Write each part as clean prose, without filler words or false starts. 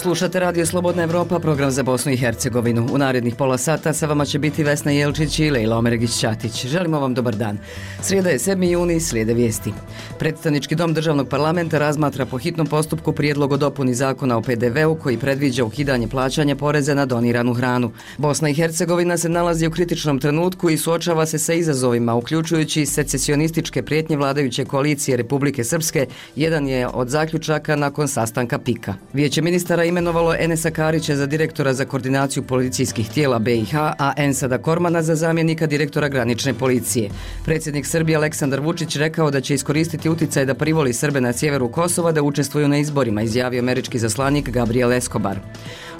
Slušate Radio Slobodna Evropa, program za Bosnu i Hercegovinu. U narednih pola sata sa vama će biti Vesna Jelčić i Lejla Omeregić-Ćatić. Želimo vam dobar dan. Srijeda je 7. juni, slijede vijesti. Predstavnički dom državnog parlamenta razmatra po hitnom postupku prijedlog o dopuni zakona o PDV-u koji predviđa ukidanje plaćanja poreza na doniranu hranu. Bosna i Hercegovina se nalazi u kritičnom trenutku i suočava se sa izazovima, uključujući secesionističke prijetnje vladajuće koalicije Republike Srpske, jedan je od zaključaka nakon sastanka PIK-a. Vijeće ministara imenovalo Enesa Karića za direktora za koordinaciju policijskih tijela BiH, a Ensada Kormana za zamjenika direktora granične policije. Predsjednik Srbije Aleksandar Vučić rekao da će iskoristiti utjecaj da privoli Srbe na sjeveru Kosova da učestvuju na izborima, izjavio američki zaslanik Gabriel Escobar.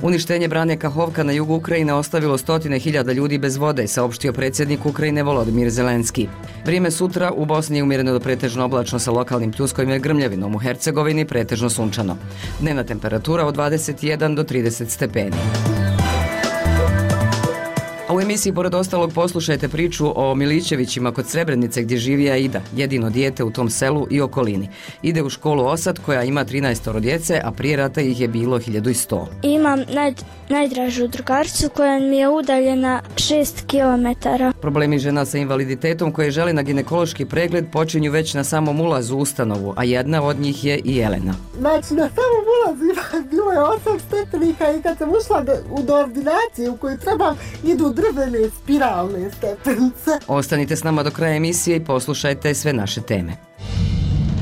Uništenje brane Kahovka na jugu Ukrajine ostavilo stotine hiljada ljudi bez vode, saopštio predsjednik Ukrajine Volodimir Zelenski. Vrijeme sutra u Bosni je umjereno do pretežno oblačno sa lokalnim pljuskovima i grmljavinom, u Hercegovini pretežno sunčano. Dnevna temperatura od 21 do 30 stepeni. A u emisiji pored ostalog poslušajte priču o Milićevićima kod Srebrenice gdje živi Aida, jedino dijete u tom selu i okolini. Ide u školu Osad koja ima 13 djece, a prije rata ih je bilo 1100. Imam najdražu drugaricu koja mi je udaljena 6 km. Problemi žena sa invaliditetom koje žele na ginekološki pregled počinju već na samom ulazu u ustanovu, a jedna od njih je i Jelena. Znači na samom ulazu bilo je 8 stepenika i kad sam ušla do ordinacije u kojoj trebam idu drvene spiralne stepenice. Ostanite s nama do kraja emisije i poslušajte sve naše teme.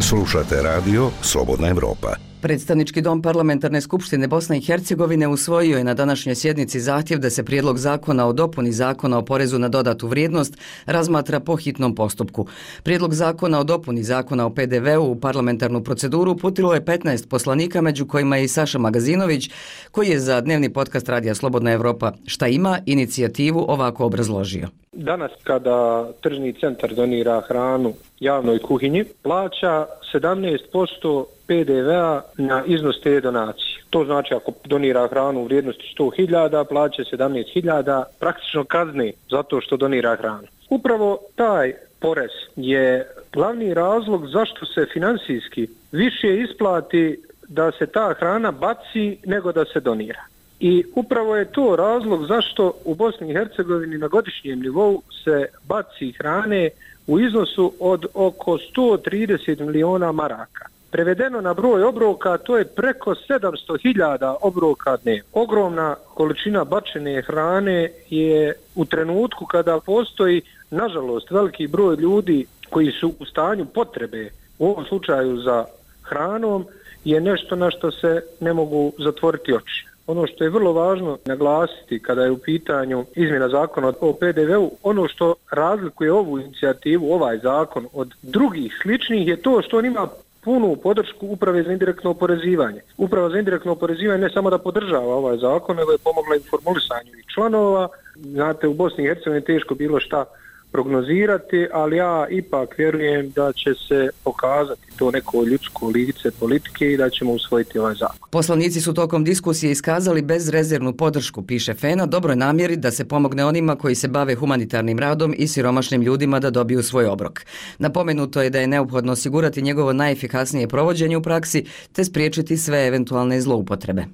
Slušate radio Slobodna Evropa. Predstavnički dom Parlamentarne skupštine Bosne i Hercegovine usvojio je na današnjoj sjednici zahtjev da se prijedlog zakona o dopuni zakona o porezu na dodatu vrijednost razmatra po hitnom postupku. Prijedlog zakona o dopuni zakona o PDV-u u parlamentarnu proceduru uputilo je 15 poslanika, među kojima je i Saša Magazinović, koji je za dnevni podcast Radija Slobodna Evropa Šta ima inicijativu ovako obrazložio. Danas kada tržni centar donira hranu javnoj kuhinji, plaća 17% PDV-a na iznos te donacije. To znači ako donira hranu u vrijednosti 100.000, plaća 17.000, praktično kazne zato što donira hranu. Upravo taj porez je glavni razlog zašto se finansijski više isplati da se ta hrana baci nego da se donira. I upravo je to razlog zašto u Bosni i Hercegovini na godišnjem nivou se baci hrane u iznosu od oko 130 miliona maraka. Prevedeno na broj obroka, to je preko 700.000 obroka dnevno. Ogromna količina bačene hrane je u trenutku kada postoji, nažalost, veliki broj ljudi koji su u stanju potrebe, u ovom slučaju za hranom, je nešto na što se ne mogu zatvoriti oči. Ono što je vrlo važno naglasiti kada je u pitanju izmjena zakona o PDV-u, ono što razlikuje ovu inicijativu, ovaj zakon od drugih sličnih je to što on ima punu podršku Uprave za indirektno oporezivanje. Uprava za indirektno oporezivanje ne samo da podržava ovaj zakon, nego je pomogla i formulisanju članova. Znate, u Bosni i Hercegovini teško bilo šta prognozirati, ali ja ipak vjerujem da će se pokazati to neko ljudsko lice politike i da ćemo usvojiti ovaj zakon. Poslanici su tokom diskusije iskazali bezrezervnu podršku, piše FENA, dobroj namjeri da se pomogne onima koji se bave humanitarnim radom i siromašnim ljudima da dobiju svoj obrok. Napomenuto je da je neophodno osigurati njegovo najefikasnije provođenje u praksi te spriječiti sve eventualne zloupotrebe.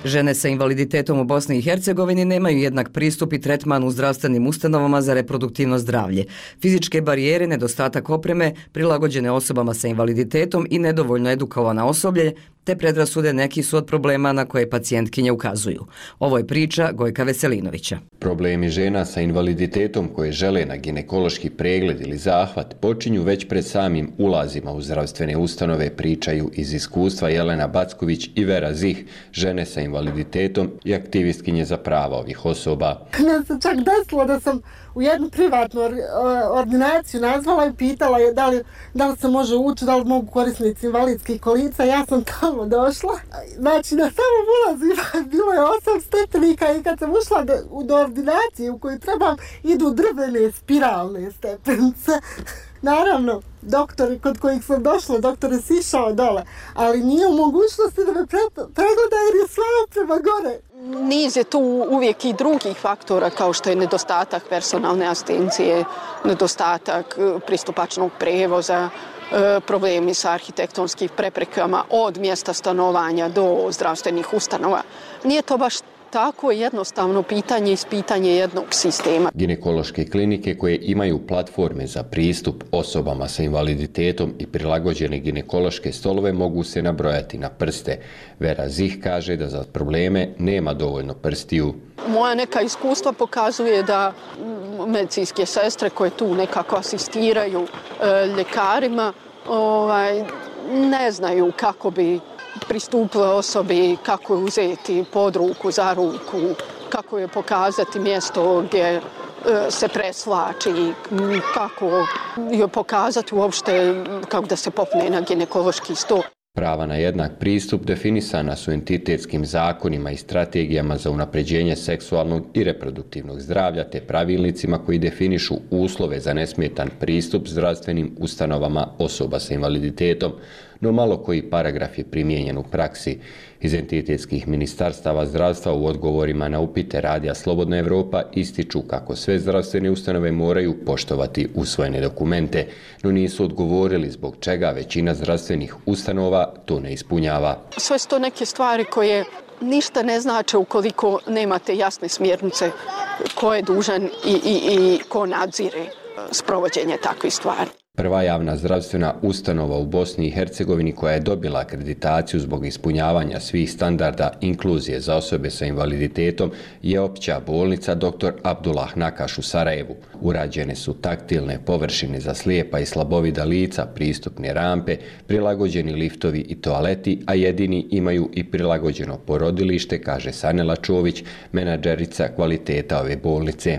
Žene sa invaliditetom u Bosni i Hercegovini nemaju jednak pristup i tretman u zdravstvenim ustanovama za reproduktivno zdravlje. Fizičke barijere, nedostatak opreme, prilagođene osobama sa invaliditetom i nedovoljno edukovano osoblje, te predrasude neki su od problema na koje pacijentkinje ukazuju. Ovo je priča Gojka Veselinovića. Problemi žena sa invaliditetom koje žele na ginekološki pregled ili zahvat počinju već pred samim ulazima u zdravstvene ustanove, pričaju iz iskustva Jelena Backović i Vera Zih, žene sa invaliditetom i aktivistkinje za prava ovih osoba. Ne se čak desilo da sam u jednu privatnu ordinaciju nazvala i pitala je da li se može ući, da li mogu korisnici invalidskih kolica. Ja sam tamo došla. Znači na samom ulazu bilo je 8 stepenika i kad sam ušla do ordinacije u kojoj trebam idu drvene spiralne stepenice. Naravno, doktori kod kojih sam došla, doktor je sišao dole, ali nije u mogućnosti da me pregleda jer je slavo prema gore. Niz je tu uvijek i drugih faktora kao što je nedostatak personalne asistencije, nedostatak pristupačnog prijevoza, problemi sa arhitektonskim preprekama od mjesta stanovanja do zdravstvenih ustanova. Nije to baš tako jednostavno pitanje iz pitanje jednog sistema. Ginekološke klinike koje imaju platforme za pristup osobama sa invaliditetom i prilagođene ginekološke stolove mogu se nabrojati na prste. Vera Zih kaže da za probleme nema dovoljno prstiju. Moja neka iskustva pokazuje da medicinske sestre koje tu nekako asistiraju ljekarima ne znaju kako bi pristupile osobi, kako je uzeti pod ruku, za ruku, kako je pokazati mjesto gdje se preslači, kako je pokazati uopšte kako da se popne na ginekološki stol. Prava na jednak pristup definisana su entitetskim zakonima i strategijama za unapređenje seksualnog i reproduktivnog zdravlja te pravilnicima koji definišu uslove za nesmetan pristup zdravstvenim ustanovama osoba sa invaliditetom, no malo koji paragraf je primijenjen u praksi. Iz entitetskih ministarstava zdravstva u odgovorima na upite Radija Slobodna Evropa ističu kako sve zdravstvene ustanove moraju poštovati usvojene dokumente, no nisu odgovorili zbog čega većina zdravstvenih ustanova to ne ispunjava. Sve su to neke stvari koje ništa ne znače ukoliko nemate jasne smjernice ko je dužan i ko nadzire sprovođenje takvih stvari. Prva javna zdravstvena ustanova u Bosni i Hercegovini koja je dobila akreditaciju zbog ispunjavanja svih standarda inkluzije za osobe sa invaliditetom je opća bolnica dr. Abdullah Nakaš u Sarajevu. Urađene su taktilne površine za slijepa i slabovida lica, pristupne rampe, prilagođeni liftovi i toaleti, a jedini imaju i prilagođeno porodilište, kaže Sanela Čović, menadžerica kvaliteta ove bolnice.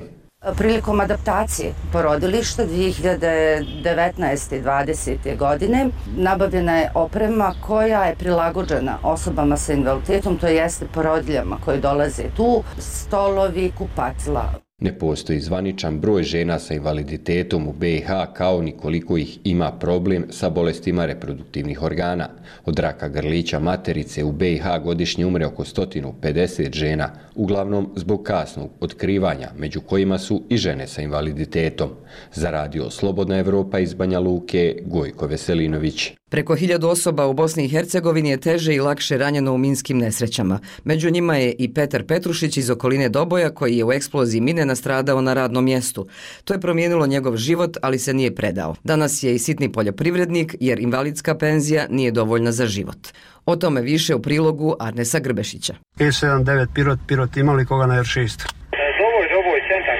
Prilikom adaptacije porodilišta 2019. i 2020. godine nabavljena je oprema koja je prilagođena osobama sa invaliditetom, to jeste porodiljama koje dolaze tu, stolovi, kupatila. Ne postoji zvaničan broj žena sa invaliditetom u BiH kao ni koliko ih ima problem sa bolestima reproduktivnih organa. Od raka grlića materice u BiH godišnje umre oko 150 žena, uglavnom zbog kasnog otkrivanja, među kojima su i žene sa invaliditetom. Za Radio Slobodna Evropa iz Banja Luke, Gojko Veselinović. Preko 1000 osoba u Bosni i Hercegovini je teže i lakše ranjeno u minskim nesrećama. Među njima je i Petar Petrušić iz okoline Doboja koji je u eksploziji mine nastradao na radnom mjestu. To je promijenilo njegov život, ali se nije predao. Danas je i sitni poljoprivrednik jer invalidska penzija nije dovoljna za život. O tome više u prilogu Arnesa Grbešića. E79 Pirot imali koga na R6? Doboj, centar.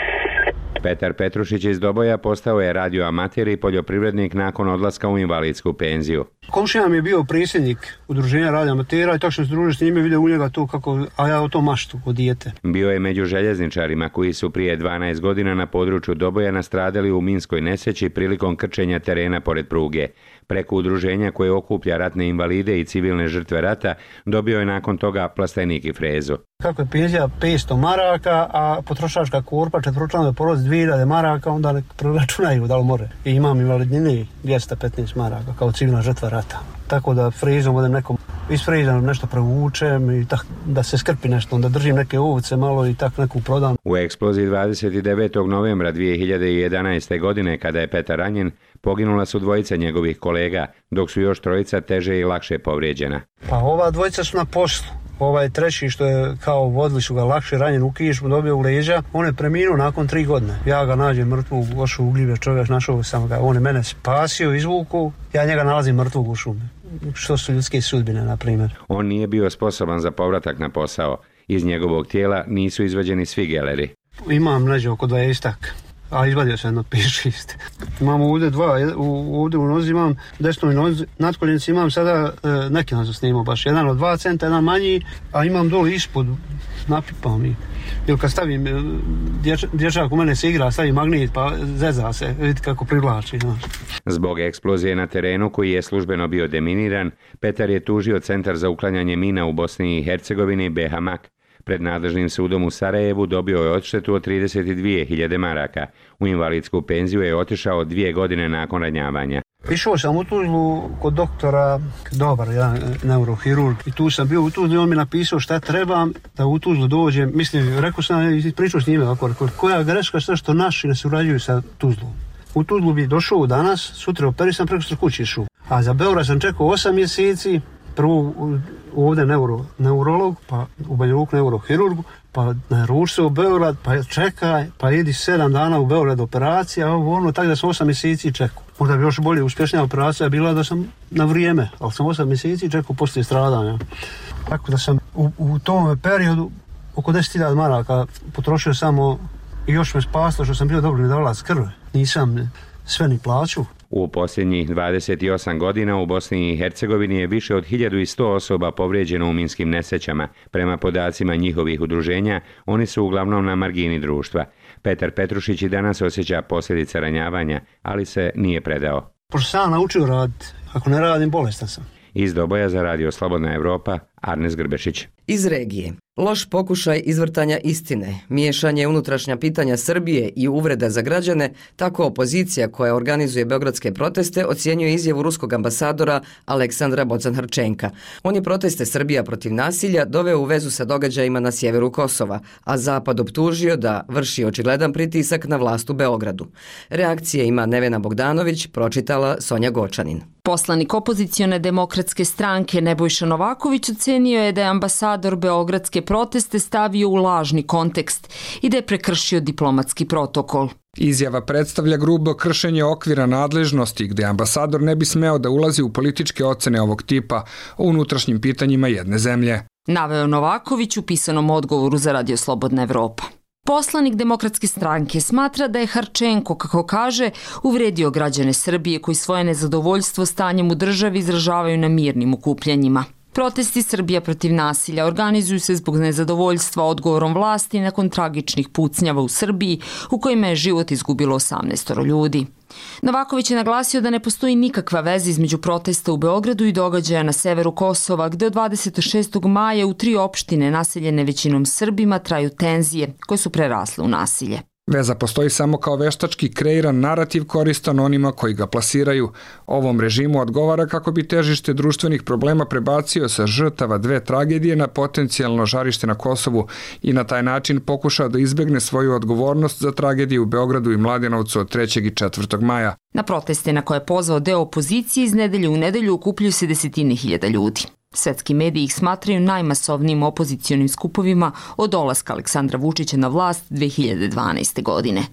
Petar Petrušić iz Doboja postao je radioamater i poljoprivrednik nakon odlaska u invalidsku penziju. Komšija mi je bio predsjednik udruženja radioamatera i tako sam se družio s njime, vidio u njega to kako, a ja o to maštu od dijete. Bio je među željezničarima koji su prije 12 godina na području Doboja nastradali u minskoj nesreći prilikom krčenja terena pored pruge. Preko udruženja koje okuplja ratne invalide i civilne žrtve rata dobio je nakon toga plastenik i frezu. Kako je penzija 500 maraka, a potrošačka korpa četveročlanove porodice 2000 maraka, onda ne proračunaju da li more. I imam invalidnine 215 maraka kao civilna žrtva rata. Tako da frezom odem nekom isfrezam nešto provučem i tak, da se skrpi nešto, onda držim neke ovce malo i tak neku prodam. U eksploziji 29. novembra 2011. godine kada je Petar ranjen, poginula su dvojica njegovih kolega, dok su još trojica teže i lakše povrijeđena. Pa ova dvojica su na poslu. Ovaj treći što je kao vodili su ga lakše ranjen u kišmu, dobio u leđa, on je preminuo nakon 3 godine. Ja ga nađem mrtvog, ošu ugljive čovjek, našao sam ga, on je mene spasio, izvuku, ja njega nalazim mrtvog u šumi. Što su ljudske sudbine, na primjer. On nije bio sposoban za povratak na posao. Iz njegovog tijela nisu izvađeni svi geleri. Imam neđe oko 20, a izvadio sam jedno 5-6. Imam ovdje dva, ovdje u nozi imam, desnoj nozi, nadkoljenici imam sada, neki nam sam snimao baš, jedan od 2 centa, jedan manji, a imam dole ispod, napipam i. Ili kad stavim, dječak u mene se igra, stavim magnet pa zeza se, vidite kako privlači. Znaš. Zbog eksplozije na terenu koji je službeno bio deminiran, Petar je tužio Centar za uklanjanje mina u Bosni i Hercegovini BHMAK. Pred nadležnim sudom u Sarajevu dobio je odštetu od 32.000 maraka. U invalidsku penziju je otišao 2 godine nakon ranjavanja. Išao sam u Tuzlu kod doktora, dobar, jedan neurohirurg, i tu sam bio u Tuzlu i on mi napisao šta trebam da u Tuzlu dođem. Mislim, rekao sam i pričao s njime, koja greška sve što naši ne surađuju sa Tuzlom. u Tuzlu bi došao danas, sutra operisan, preko kući išao. A za Beograd sam čekao 8 mjeseci, prvo ovdje neurolog, pa u Banja Luku neurohirurgu, pa naruči se u Beograd, pa čekaj, pa idi 7 dana u Beograd operacija, tako da sam 8 mjeseci čekao. Možda bi još bolje uspješnija operacija bila da sam na vrijeme, ali sam 8 mjeseci čekao poslije stradanja. Tako da sam u tom periodu oko 10.000 maraka potrošio samo i još me spaslo što sam bio dobri davalac krvi. Nisam sve ni plaću. U posljednjih 28 godina u Bosni i Hercegovini je više od 1100 osoba povrijeđeno u minskim nesrećama. Prema podacima njihovih udruženja, oni su uglavnom na margini društva. Petar Petrušić i danas osjeća posljedice ranjavanja, ali se nije predao. Pošto sam naučio raditi, ako ne radim, bolestan sam. Iz Doboja za Radio Slobodna Evropa, Arnes Grbešić. Iz regije. Loš pokušaj izvrtanja istine, miješanje unutrašnja pitanja Srbije i uvreda za građane, tako opozicija koja organizuje beogradske proteste ocjenjuje izjavu ruskog ambasadora Aleksandra Bocan-Hrčenka. On je proteste Srbija protiv nasilja doveo u vezu sa događajima na sjeveru Kosova, a Zapad optužio da vrši očigledan pritisak na vlast u Beogradu. Reakcije ima Nevena Bogdanović, pročitala Sonja Gočanin. Poslanik opozicione demokratske stranke Nebojša Novaković ocenio je da je ambasador beogradske proteste stavio u lažni kontekst i da je prekršio diplomatski protokol. Izjava predstavlja grubo kršenje okvira nadležnosti gdje ambasador ne bi smeo da ulazi u političke ocene ovog tipa o unutrašnjim pitanjima jedne zemlje. Naveo Novaković u pisanom odgovoru za Radio Slobodna Evropa. Poslanik demokratske stranke smatra da je Hrčenko, kako kaže, uvredio građane Srbije koji svoje nezadovoljstvo stanjem u državi izražavaju na mirnim okupljanjima. Protesti Srbija protiv nasilja organizuju se zbog nezadovoljstva odgovorom vlasti nakon tragičnih pucnjava u Srbiji u kojima je život izgubilo 18 ljudi. Novaković je naglasio da ne postoji nikakva veza između protesta u Beogradu i događaja na severu Kosova, gde od 26. maja u 3 opštine naseljene većinom Srbima traju tenzije koje su prerasle u nasilje. Veza postoji samo kao veštački kreiran narativ koristan onima koji ga plasiraju. Ovom režimu odgovara kako bi težište društvenih problema prebacio sa žrtava 2 tragedije na potencijalno žarište na Kosovu i na taj način pokušao da izbegne svoju odgovornost za tragediju u Beogradu i Mladenovcu od 3. i 4. maja. Na proteste na koje je pozvao deo opozicije iz nedelje u nedelju okupljaju se desetine hiljada ljudi. Svetski mediji ih smatraju najmasovnijim opozicionim skupovima od dolaska Aleksandra Vučića na vlast 2012. godine.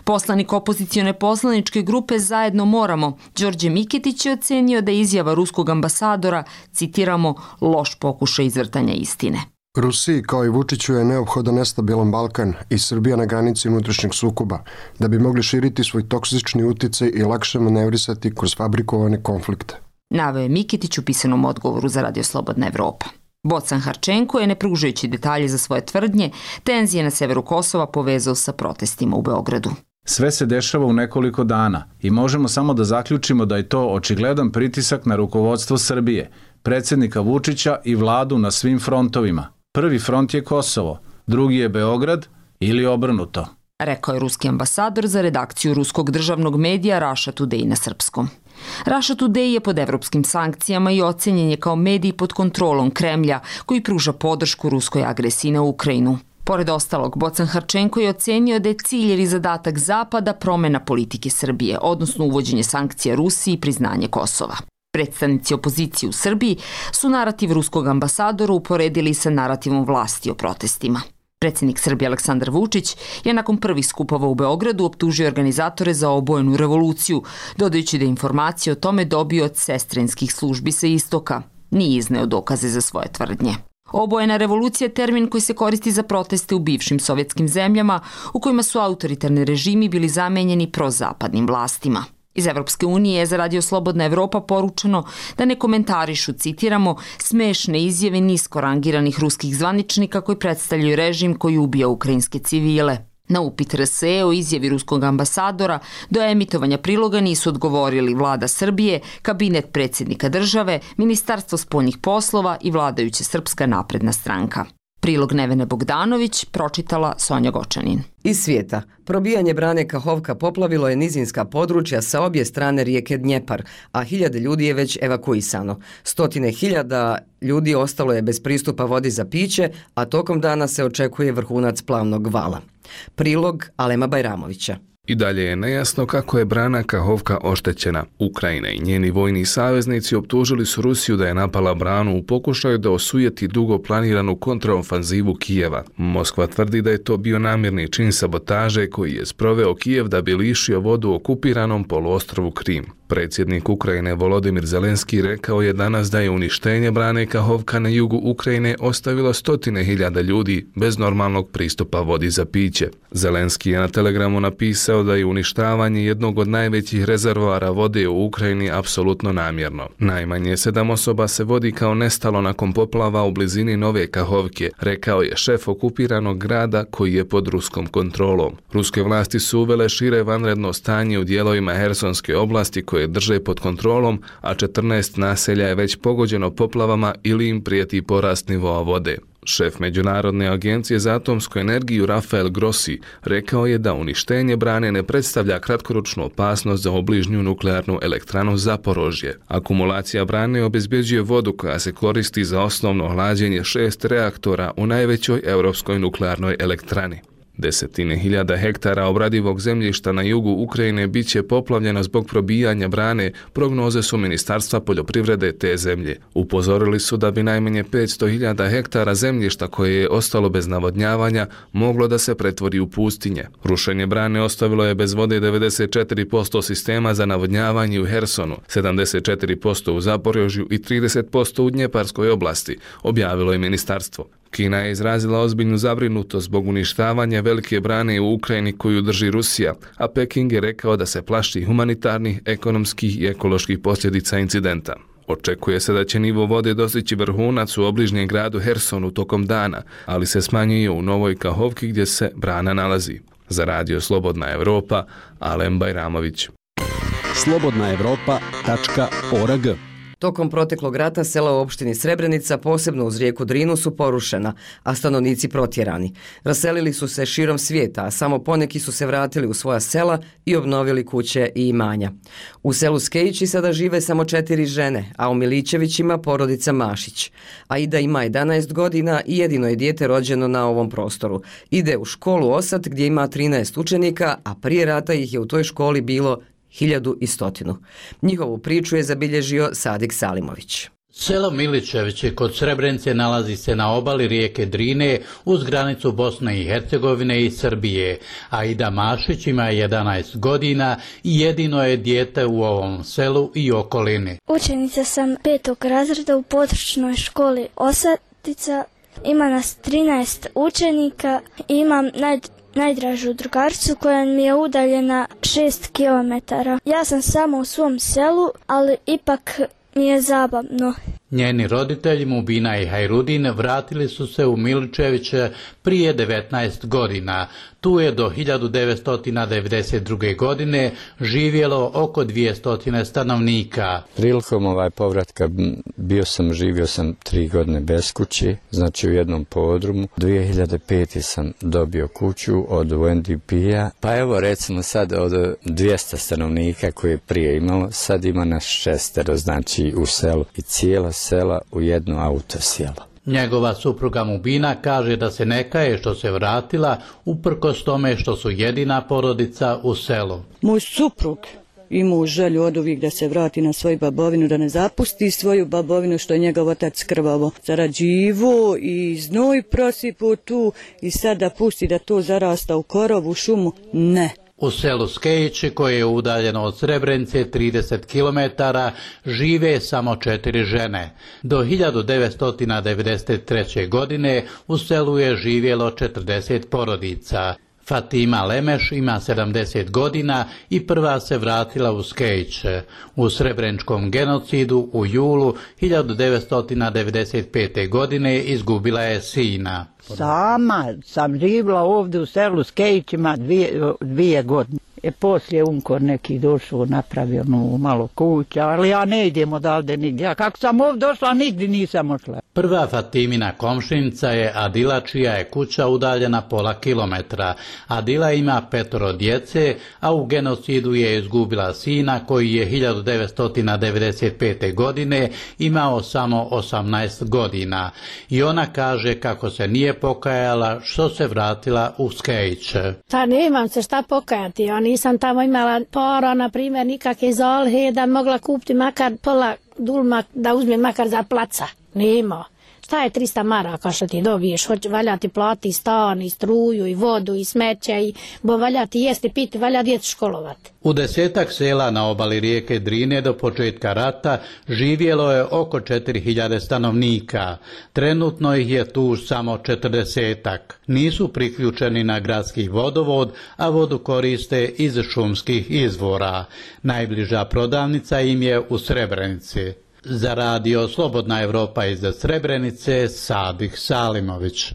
Poslanik opozicione poslaničke grupe Zajedno moramo, Đorđe Miketić je ocenio da je izjava ruskog ambasadora, citiramo, loš pokušaj izvrtanja istine. Rusiji kao i Vučiću je neophodan nestabilan Balkan i Srbija na granici unutrašnjeg sukoba, da bi mogli širiti svoj toksični uticaj i lakše manevrisati kroz fabrikovane konflikte. Naveo je Miketić u pisanom odgovoru za Radio Slobodna Evropa. Bocan-Hrčenko je, ne pružajući detalje za svoje tvrdnje, tenzije na severu Kosova povezao sa protestima u Beogradu. Sve se dešava u nekoliko dana i možemo samo da zaključimo da je to očigledan pritisak na rukovodstvo Srbije, predsjednika Vučića i vladu na svim frontovima. Prvi front je Kosovo, drugi je Beograd ili obrnuto. Rekao je ruski ambasador za redakciju ruskog državnog medija Russia Today na srpskom. Russia Today je pod evropskim sankcijama i ocenjen je kao medij pod kontrolom Kremlja koji pruža podršku ruskoj agresiji na Ukrajinu. Pored ostalog, Bocan-Hrčenko je ocenio da je cilj ili zadatak Zapada promjena politike Srbije, odnosno uvođenje sankcija Rusiji i priznanje Kosova. Predstavnici opozicije u Srbiji su narativ ruskog ambasadora uporedili sa narativom vlasti o protestima. Predsjednik Srbije Aleksandar Vučić je nakon prvih skupova u Beogradu optužio organizatore za obojenu revoluciju, dodajući da je informacije o tome dobio od sestrinskih službi sa istoka. Nije izneo dokaze za svoje tvrdnje. Obojena revolucija je termin koji se koristi za proteste u bivšim sovjetskim zemljama u kojima su autoritarni režimi bili zamenjeni prozapadnim vlastima. Iz Evropske unije je za Radio Slobodna Evropa poručeno da ne komentarišu, citiramo, smešne izjave nisko rangiranih ruskih zvaničnika koji predstavljaju režim koji ubija ukrajinske civile. Na upit RSE o izjavi ruskog ambasadora do emitovanja priloga nisu odgovorili vlada Srbije, kabinet predsjednika države, Ministarstvo spoljnih poslova i vladajuća Srpska napredna stranka. Prilog Nevene Bogdanović pročitala Sonja Gočanin. Iz svijeta. Probijanje brane Kahovka poplavilo je nizinska područja sa obje strane rijeke Dnjepar, a hiljade ljudi je već evakuisano. Stotine hiljada ljudi ostalo je bez pristupa vodi za piće, a tokom dana se očekuje vrhunac plavnog vala. Prilog Alema Bajramovića. I dalje je nejasno kako je brana Kahovka oštećena. Ukrajina i njeni vojni saveznici optužili su Rusiju da je napala branu u pokušaju da osujeti dugo planiranu kontraofanzivu Kijeva. Moskva tvrdi da je to bio namjerni čin sabotaže koji je sproveo Kijev da bi lišio vodu okupiranom poluostrvu Krim. Predsjednik Ukrajine Volodimir Zelenski rekao je danas da je uništenje brane Kahovka na jugu Ukrajine ostavilo 100.000 ljudi bez normalnog pristupa vodi za piće. Zelenski je na Telegramu napisao da je uništavanje jednog od najvećih rezervoara vode u Ukrajini apsolutno namjerno. Najmanje 7 osoba se vodi kao nestalo nakon poplava u blizini Nove Kahovke, rekao je šef okupiranog grada koji je pod ruskom kontrolom. Ruske vlasti su uvele šire vanredno stanje u dijelovima Hersonske oblasti koje drže pod kontrolom, a 14 naselja je već pogođeno poplavama ili im prijeti porast nivoa vode. Šef Međunarodne agencije za atomsku energiju Rafael Grossi rekao je da uništenje brane ne predstavlja kratkoročnu opasnost za obližnju nuklearnu elektranu Zaporožje. Akumulacija brane obezbjeđuje vodu koja se koristi za osnovno hlađenje 6 reaktora u najvećoj europskoj nuklearnoj elektrani. 10.000 hektara obradivog zemljišta na jugu Ukrajine bit će poplavljeno zbog probijanja brane, prognoze su Ministarstva poljoprivrede te zemlje. Upozorili su da bi najmanje 500.000 hektara zemljišta koje je ostalo bez navodnjavanja moglo da se pretvori u pustinje. Rušenje brane ostavilo je bez vode 94% sistema za navodnjavanje u Hersonu, 74% u Zaporožju i 30% u Dnjeparskoj oblasti, objavilo je ministarstvo. Kina je izrazila ozbiljnu zabrinutost zbog uništavanja velike brane u Ukrajini koju drži Rusija, a Peking je rekao da se plaši humanitarnih, ekonomskih i ekoloških posljedica incidenta. Očekuje se da će nivo vode dostići vrhunac u obližnjem gradu Hersonu tokom dana, ali se smanjuje u Novoj Kahovki gdje se brana nalazi. Za radio Slobodna Evropa, Alen Bajramović. slobodnaevropa.org. Tokom proteklog rata sela u opštini Srebrenica, posebno uz rijeku Drinu, su porušena, a stanovnici protjerani. Raselili su se širom svijeta, a samo poneki su se vratili u svoja sela i obnovili kuće i imanja. U selu Skejići sada žive samo 4 žene, a u Milićevićima porodica Mašić. Aida ima 11 godina i jedino je dijete rođeno na ovom prostoru. Ide u školu Osat gdje ima 13 učenika, a prije rata ih je u toj školi bilo 1100. Njihovu priču je zabilježio Sadik Salimović. Selo Milićevići kod Srebrenice nalazi se na obali rijeke Drine uz granicu Bosne i Hercegovine i Srbije. Aida Mašić ima 11 godina i jedino je dijete u ovom selu i okolini. Učenica sam 5. razreda u područnoj školi Osatica. Ima nas 13 učenika i imam najdražu drugaricu koja mi je udaljena 6 km. Ja sam samo u svom selu, ali ipak mi je zabavno. Njeni roditelji Mubina i Hajrudin vratili su se u Milićeviće prije 19 godina. Tu je do 1992. godine živjelo oko 200 stanovnika. Prilikom povratka živio sam 3 godine bez kući, znači u jednom podrumu. 2005. sam dobio kuću od UNDP-a. Pa evo recimo sad od 200 stanovnika koje je prije imalo, sad ima nas 6, znači u selu i cijela sela u jedno autosjelo. Njegova supruga Mubina kaže da se ne kaje što se vratila, uprkos tome što su jedina porodica u selu. Moj suprug imao želju od uvijek da se vrati na svoju babovinu, da ne zapusti svoju babovinu što je njegov otac krvavo zarađivo i znoj prosipo tu i sad da pusti da to zarasta u korovu šumu, ne. U selu Skejići, koje je udaljeno od Srebrenice 30 km, žive samo 4 žene. Do 1993. godine u selu je živjelo 40 porodica. Fatima Lemeš ima 70 godina i prva se vratila u Skejiće. U srebreničkom genocidu u julu 1995. godine izgubila je sina. Sama sam živjela ovdje u selu Skejićima 2 godine. Poslije Unkor neki došao, napravio malo kuća, ali ja ne idem odavde nigdje. Ja kako sam ovdje došla, nigdje nisam ošla. Prva Fatimina komšinica je Adila, čija je kuća udaljena pola kilometra. Adila ima 5 djece, a u genocidu je izgubila sina koji je 1995. godine imao samo 18 godina. I ona kaže kako se nije pokajala što se vratila u Skejć. Pa nemam se šta pokajati, ja nisam tamo imala para, na primjer, nikakve zalihe da mogla kupiti makar pola dulma, da uzmem makar za placa. Nema. Šta je 300 maraka što ti dobiješ? Valja ti plati stan, i struju, i vodu, i smeće, i valja ti jesti, piti, valja djecu školovati. U 10-ak sela na obali rijeke Drine do početka rata živjelo je oko 4000 stanovnika. Trenutno ih je tu samo 40-ak. Nisu priključeni na gradski vodovod, a vodu koriste iz šumskih izvora. Najbliža prodavnica im je u Srebrenici. Za radio Slobodna Evropa iz Srebrenice, Sadih Salimović.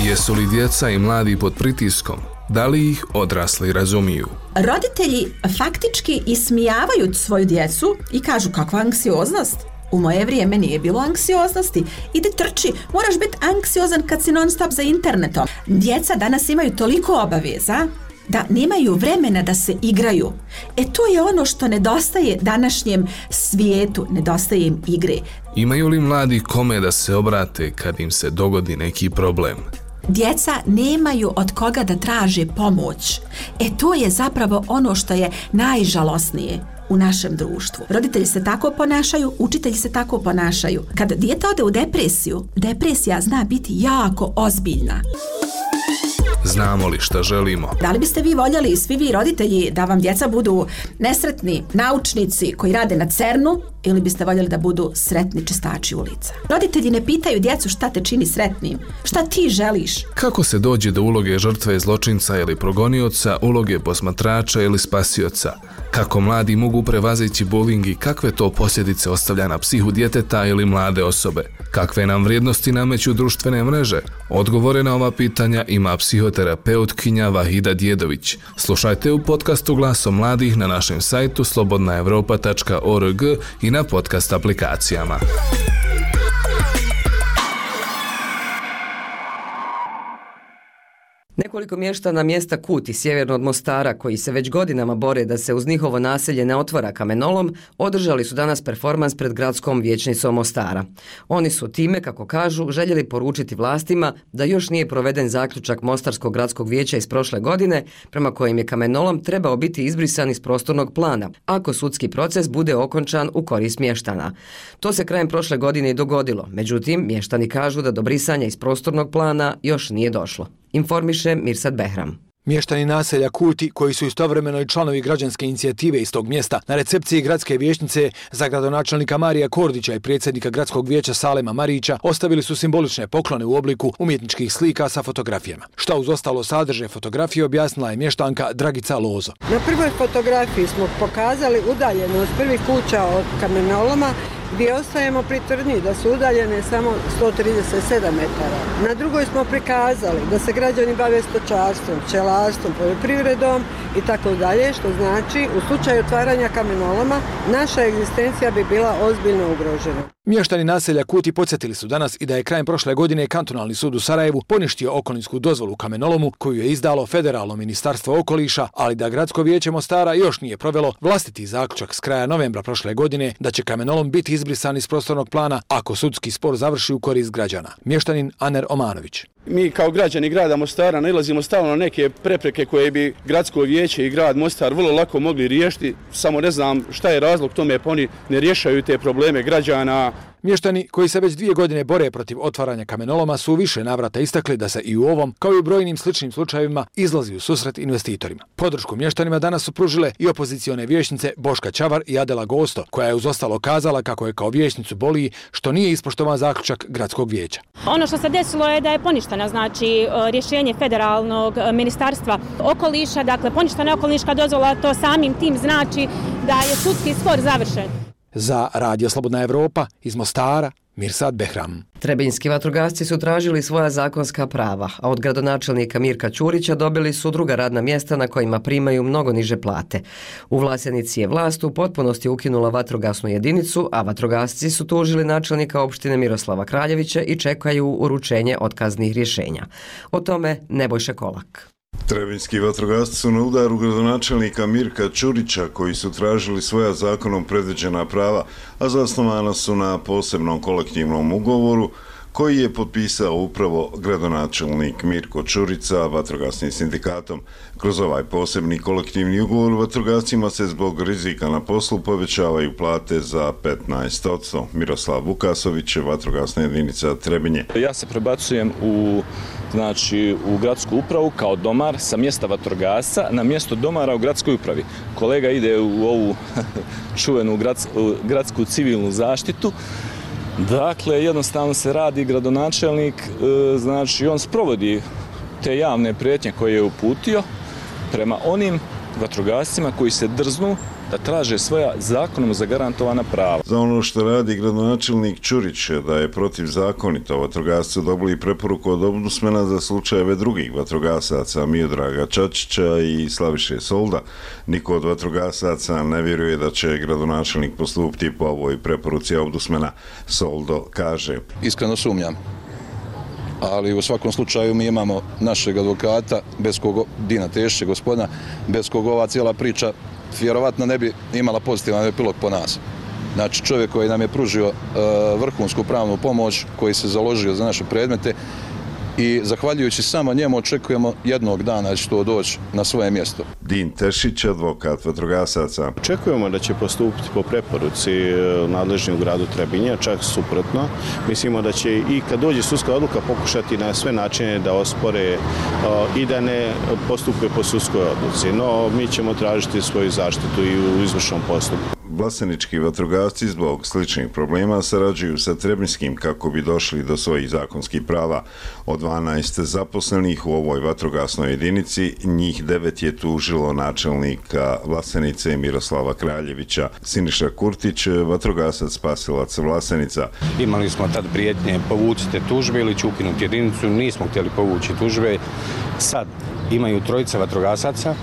Jesu li djeca i mladi pod pritiskom? Da li ih odrasli razumiju? Roditelji faktički ismijavaju svoju djecu i kažu kakva anksioznost. U moje vrijeme nije bilo anksioznosti. Ide trči, moraš biti anksiozan kad si non stop za internetom. Djeca danas imaju toliko obaveza da nemaju vremena da se igraju. To je ono što nedostaje današnjem svijetu, nedostaje im igre. Imaju li mladi kome da se obrate kad im se dogodi neki problem? Djeca nemaju od koga da traže pomoć. To je zapravo ono što je najžalosnije u našem društvu. Roditelji se tako ponašaju, učitelji se tako ponašaju. Kad dijete ode u depresiju, depresija zna biti jako ozbiljna. Znamo li šta želimo? Da li biste vi voljeli, svi vi roditelji, da vam djeca budu nesretni naučnici koji rade na CERN-u, ili biste voljeli da budu sretni čistači ulica? Roditelji ne pitaju djecu šta te čini sretnim, šta ti želiš. Kako se dođe do uloge žrtve zločinca ili progonioca, uloge posmatrača ili spasioca? Kako mladi mogu prevazići bullying i kakve to posljedice ostavlja na psihu djeteta ili mlade osobe? Kakve nam vrijednosti nameću društvene mreže? Odgovore na ova pitanja ima psihoterapeutkinja Vahida Djedović. Slušajte u podcastu Glasom mladih na našem sajtu slobodnaevropa.org i na podcast aplikacijama. Nekoliko mještana mjesta Kuti, sjeverno od Mostara, koji se već godinama bore da se uz njihovo naselje ne otvara kamenolom, održali su danas performans pred gradskom vijećnicom Mostara. Oni su time, kako kažu, željeli poručiti vlastima da još nije proveden zaključak Mostarskog gradskog vijeća iz prošle godine, prema kojem je kamenolom trebao biti izbrisan iz prostornog plana, ako sudski proces bude okončan u korist mještana. To se krajem prošle godine i dogodilo, međutim, mještani kažu da do brisanja iz prostornog plana još nije došlo. Informiše Mirsad Behram. Mještani naselja Kuti, koji su istovremeno i članovi građanske inicijative iz tog mjesta, na recepciji gradske vijećnice za gradonačelnika Marija Kordića i predsjednika gradskog vijeća Salema Marića ostavili su simbolične poklone u obliku umjetničkih slika sa fotografijama. Šta uz ostalo sadrže fotografije objasnila je mještanka Dragica Lozo. Na prvoj fotografiji smo pokazali udaljenost prvih kuća od kamenoloma, gdje ostajemo pri tvrdnji da su udaljene samo 137 metara. Na drugoj smo prikazali da se građani bave stočarstvom, pčelarstvom, poljoprivredom i tako dalje, što znači u slučaju otvaranja kamenoloma naša egzistencija bi bila ozbiljno ugrožena. Mještani naselja Kuti podsjetili su danas i da je krajem prošle godine Kantonalni sud u Sarajevu poništio okolinsku dozvolu kamenolomu koju je izdalo Federalno ministarstvo okoliša, ali da Gradsko vijeće Mostara još nije provelo vlastiti zaključak s kraja novembra prošle godine da će kamenolom biti izbrisan iz prostornog plana ako sudski spor završi u korist građana. Mještanin Aner Omanović. Mi kao građani grada Mostara nailazimo stalno na neke prepreke koje bi Gradsko vijeće i grad Mostar vrlo lako mogli riješiti, samo ne znam šta je razlog tome, pa oni ne rješaju te probleme građana. Mještani koji se već 2 godine bore protiv otvaranja kamenoloma su u više navrata istakli da se i u ovom, kao i u brojnim sličnim slučajevima, izlazi u susret investitorima. Podršku mještanima danas su pružile i opozicione vijećnice Boška Ćavar i Adela Gosto, koja je uz ostalo kazala kako je kao vijećnicu boli što nije ispoštovan zaključak Gradskog vijeća. Ono što se desilo je da je poništeno, znači rješenje Federalnog ministarstva okoliša, dakle poništena okoliška dozvola, to samim tim znači da je sudski spor završen. Za Radio Slobodna Evropa iz Mostara, Mirsad Behram. Trebinjski vatrogasci su tražili svoja zakonska prava, a od gradonačelnika Mirka Ćurića dobili su druga radna mjesta na kojima primaju mnogo niže plate. U Vlasenici je vlast u potpunosti ukinula vatrogasnu jedinicu, a vatrogasci su tužili načelnika opštine Miroslava Kraljevića i čekaju uručenje otkaznih rješenja. O tome Nebojša Kolak. Trebinjski vatrogasci su na udaru gradonačelnika Mirka Ćurića koji su tražili svoja zakonom predviđena prava, a zasnovana su na posebnom kolektivnom ugovoru koji je potpisao upravo gradonačelnik Mirko Ćurić sa vatrogasnim sindikatom. Kroz ovaj posebni kolektivni ugovor vatrogascima se zbog rizika na poslu povećavaju plate za 15%. Miroslav Vukasović, vatrogasna jedinica Trebinje. Ja se prebacujem u gradsku upravu kao domar sa mjesta vatrogasca na mjesto domara u gradskoj upravi. Kolega ide u ovu čuvenu gradsku civilnu zaštitu. Dakle, jednostavno se radi gradonačelnik, on sprovodi te javne prijetnje koje je uputio prema onim vatrogascima koji se drznu da traže svoja zakonom zagarantovana prava. Za ono što radi gradonačelnik Ćurić da je protivzakonito, vatrogasci dobili preporuku od ombudsmana za slučajeve drugih vatrogasaca Miodraga Čačića i Slaviše Solda. Niko od vatrogasaca ne vjeruje da će gradonačelnik postupiti po ovoj preporuci ombudsmana. Soldo kaže: Iskreno sumnjam. Ali u svakom slučaju mi imamo našeg advokata, Dina Tešića, gospodina, bez koga ova cijela priča vjerovatno ne bi imala pozitivan epilog po nas. Znači, čovjek koji nam je pružio vrhunsku pravnu pomoć, koji se založio za naše predmete i zahvaljujući samo njemu očekujemo jednog dana da će to doći na svoje mjesto. Din Tešić, advokat vatrogasaca. Očekujemo da će postupiti po preporuci nadležni u gradu Trebinje, čak suprotno. Mislimo da će i kad dođe sudska odluka pokušati na sve načine da ospore i da ne postupe po sudskoj odluci. No, mi ćemo tražiti svoju zaštitu i u izvršnom postupku. Vlasenički vatrogasci zbog sličnih problema sarađuju sa Trebinjskim kako bi došli do svojih zakonskih prava. Od 12 zaposlenih u ovoj vatrogasnoj jedinici, njih 9 je tužilo načelnika Vlasenice Miroslava Kraljevića. Siniša Kurtić, vatrogasac spasilac Vlasenica. Imali smo tad prijetnje: povucite tužbe ili ću ukinuti jedinicu. Nismo htjeli povući tužbe. Sad imaju trojica vatrogasaca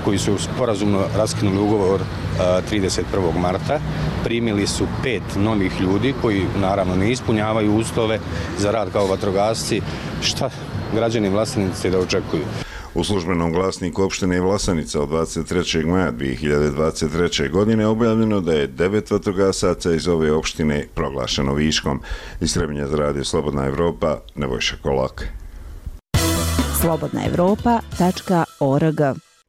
koji su sporazumno raskinuli ugovor 31. marta. Primili su 5 novih ljudi koji naravno ne ispunjavaju uslove za rad kao vatrogasci. Šta građani Vlasenice da očekuju? U službenom glasniku opštine Vlasenica od 23. maja 2023. godine objavljeno da je 9 vatrogasaca iz ove opštine proglašeno viškom. Iz Trebinja za radio Slobodna Evropa, Nebojša Kolak. slobodnaevropa.org.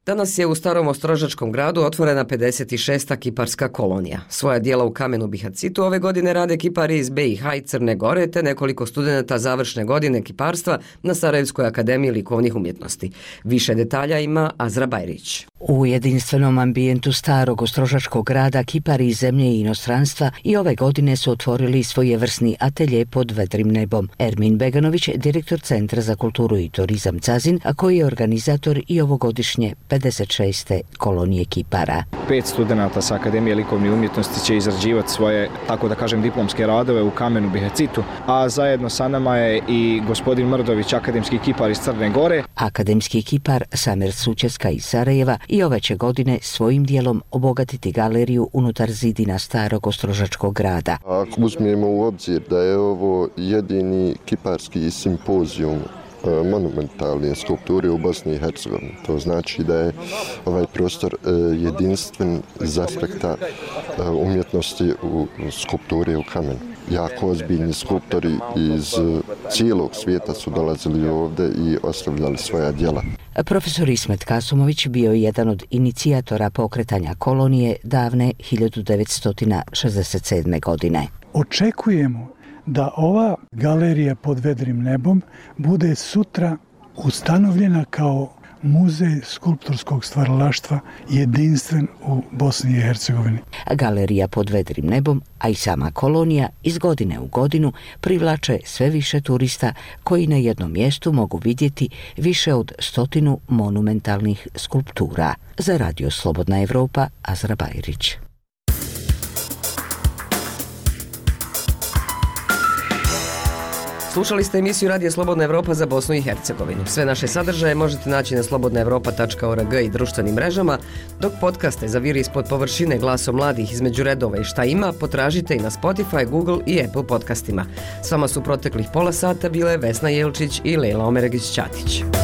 Danas je u starom ostrožačkom gradu otvorena 56. kiparska kolonija. Svoja dijela u kamenu bihacitu ove godine rade kipari iz BiH i Crne Gore te nekoliko studenata završne godine kiparstva na Sarajevskoj akademiji likovnih umjetnosti. Više detalja ima Azra Bajrić. U jedinstvenom ambijentu starog ostrožačkog grada kipari iz zemlje i inostranstva i ove godine su otvorili svojevrsni atelje pod vedrim nebom. Ermin Beganović, direktor Centra za kulturu i turizam Cazin, a koji je organizator i ovogodišnje 56. kolonije kipara. 5 studenata sa Akademije likovnih umjetnosti će izrađivati svoje, tako da kažem, diplomske radove u kamenu bihacitu, a zajedno sa nama je i gospodin Mrdović, akademski kipar iz Crne Gore. Akademski kipar Samer Sučeska iz Sarajeva i ove će godine svojim dijelom obogatiti galeriju unutar zidina starog ostrožačkog grada. Ako uzmemo u obzir da je ovo jedini kiparski simpozijum monumentalne skulpture u Bosni i Hercegovini. To znači da je ovaj prostor jedinstven iz aspekta umjetnosti u skulpture u kamenu. Jako ozbiljni skulptori iz cijelog svijeta su dolazili ovdje i ostavljali svoja djela. Profesor Ismet Kasumović bio je jedan od inicijatora pokretanja kolonije davne 1967. godine. Očekujemo da ova galerija pod vedrim nebom bude sutra ustanovljena kao muzej skulpturskog stvaralaštva jedinstven u Bosni i Hercegovini. Galerija pod vedrim nebom, a i sama kolonija iz godine u godinu privlače sve više turista koji na jednom mjestu mogu vidjeti više od 100 monumentalnih skulptura. Za radio Slobodna Evropa, Azra Bajrić. Slušali ste emisiju Radija Slobodna Evropa za Bosnu i Hercegovinu. Sve naše sadržaje možete naći na slobodnaevropa.org i društvenim mrežama, dok podcaste za vir ispod površine glasom mladih između redova i šta ima potražite i na Spotify, Google i Apple podcastima. S vama su proteklih pola sata bile Vesna Jelčić i Lejla Omeregić-Ćatić.